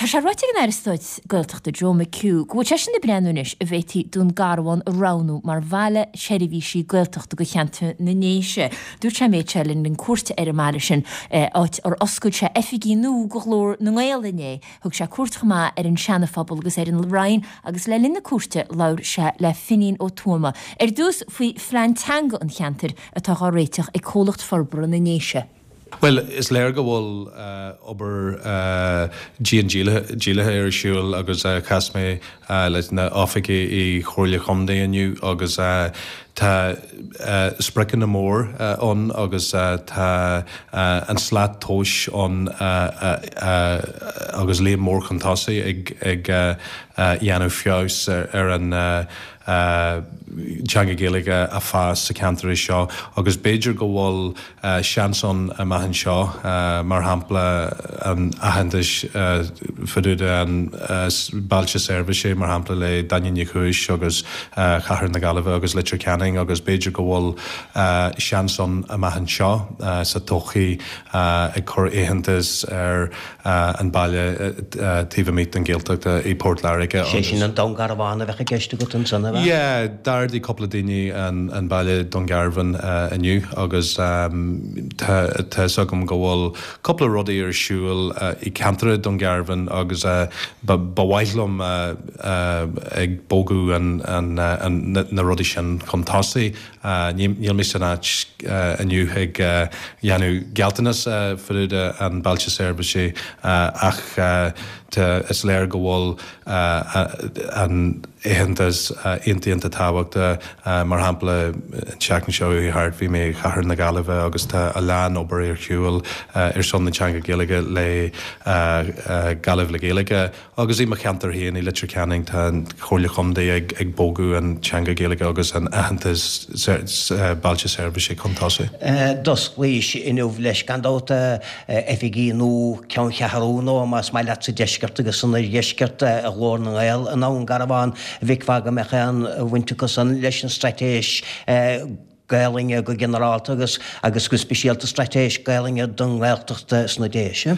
sé ráite ag an Aire Stáit Gaeltachta Joe McHugh go bhfuil seisean ag breathnú anois an bhféadfaí Dún Garbhán a roghnú mar bhaile seirbhísí Gaeltachta do cheantar na nDéise. Dúirt sé an méid seo le linn cuairte ar an mbaile sin, áit ar oscail sé oifigí nua do Ghlór na nGael inné. Thug sé cuairt chomh maith ar an Seana-Phobal agus ar an Rinn agus le linn na cuairte labhair sé le Finín Ó Tuama ar dtús faoi phlean teanga an cheantair atá á réiteach ag Comhlacht Forbartha na nDéise. Bhuel, is léir go bhfuil obair dian dílithe ar siúl agus chas mé leis na oifigigh i Chomhairle Chontae inniu agus tá spriocanna mór ann agus tá an slat tomhais ann agus léim mór chun tosaigh ag dhéanamh feabhas ar an teanga Gaeilge a fás sa cheantar seo agus b'fhéidir go bhfuil seans ann amach anseo, mar shampla an aitheantas fá dtaobh de an bailte seirbhíse mar shampla le Daingean Uí Chúis agus Chathair na Gaillimhe agus Leitir Ceanainn agus b'fhéidir go bhfuil seans ann amach anseo sa todhchaí ag cur aitheantas ar an baile taobh amuigh den Ghaeltacht i Port Láirge Sé sin an Dún Garbhán a bheadh i gceist agat ansan, ab ea? Yeah, d'ardaigh cúpla daoine an baile Dún Garbhán inniu agus tá fhios agam go bhfuil cúpla rudaí ar siúl i ceantar Dún Garbhán agus ba mhaith liom ag bogadh na rudaí sin chun tosaigh. Níl mé san áit inniu ag dhéanamh gealltanas fá dtaobh de an bailte seirbhíse ach tá, is léir go bhfuil an aitheantas iontach iontach tábhachtach. Mar shampla, an tseachtain seo chuaigh thart bhí mé i Chathair na Gaillimhe agus tá a lán obair ar shiúl ar son na teanga Gaeilge le Gaillimh le Gaeilge. Agus i mo cheantar féin, i Leitir Ceanainn, tá an Chomhairle Chontae ag bogadh an teanga Gaeilge agus an aitheantas bailte seirbhíse chun tosaigh. D'osclaís inniu leis, gan dabht, oifigí nua, ceanncheathrú nua, más maith leat, sa deisceart agus san oirdheisceart, Ghlór na nGael i nDún Garbhán. An bhfeicfeá go mbeadh aon bhaint acu san leis an straitéis Gaelainne go ginearálta agus agus go speisialta straitéis Gaelainne don nGaeltacht sna Déise.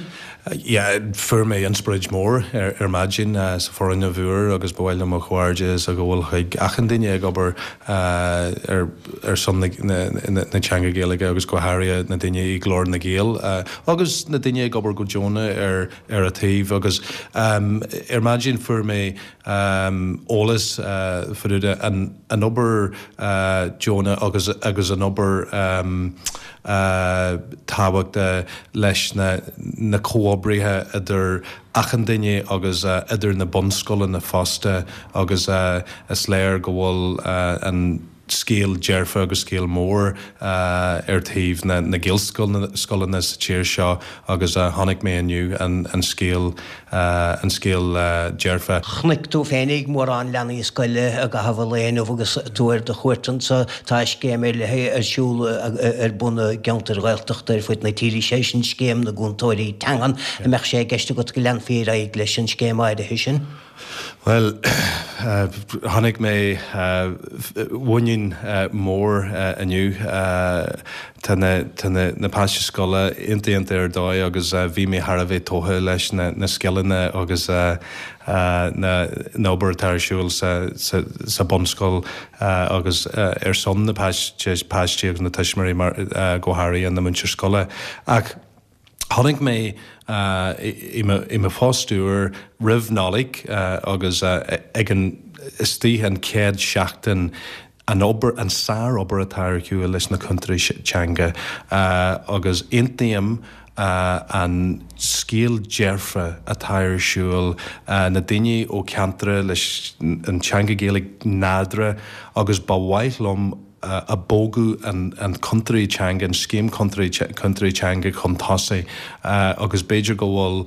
Yeah, fuair mé inspioráid mór ar maidin sa foirgneamh úr agus ba mhaith liom mo chomhghairdeas a ghabháil chuig achan duine ag obair ar ar son na na teanga Gaeilge agus go háirithe na daoine i Glór na nGael agus na daoine ag obair go deonach ar ar a taobh agus ar maidin fuair mé eolas fá dtaobh de an an obair deonach agus agus an obair tábhachtach leis na na comhoibrithe idir achan duine agus idir na bunscoileanna fosta agus is léir go bhfuil an scéal dearfa agus scéal mór ar taobh na Gaelscoileanna sa tír seo agus chonaic mé inniu an scéal an scéal dearfa. Chonaic tú féinig mórán leanaí scoile i gcaitheamh an lae inniu agus tú ar do chuairt anseo. Tá scéim ar leith ar siúl ar bun i gceantair Ghaeltachta ar fud na tíre, sé sin Scéim na gCúntóirí Teangan. An mbeadh sé i gceist agat go leanfaí ar aghaidh leis an scéim áirithe sin? Bhuel, chonaic mé muinín mór inniu. Tá na, tá na, na páistí scoile iontach iontach ar dóigh agus bhí mé thar a bheith tógtha leis na, na scileanna agus na, na obair atá ar siúl sa, sa, sa bunscoil agus ar son na páistí, páistí agus na tuismitheoirí mar, go háirithe na múinteoir scoile. Ach. Chonaic mé i mo phost úr roimh Nollaig agus ag an istigh an chéad seachtain an obair, an sár-obair atá ar shiúl leis na cúntóirí teanga agus aontaím an scéal dearfa atá ar siúl, na daoine ó ceantair leis an teanga Gaeilge nádúrtha agus ba mhaith liom a bogadh an cúntóirí teanga, an scéim cúntóirí teanga chun tosaigh agus b'fhéidir go bhfuil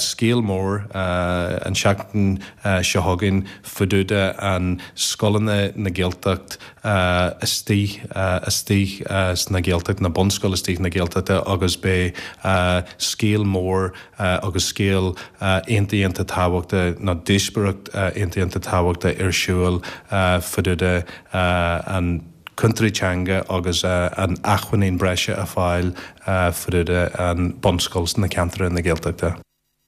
scéal mór an seachtain seo chugainn fá dtaobh de an scoileanna na Gaeltacht istigh istigh sna Gaeltacht, na bunscoil istigh na Gaeltachta agus beidh scéal mór agus scéal iontach iontach tábhachtach nó díospóireacht iontach iontach tábhachtach ar siúl fá dtaobh de an cúntóirí teanga agus an acmhainnín breise a fáil fá dtaobh de an bunscoil sna ceantair na Gaeltachta.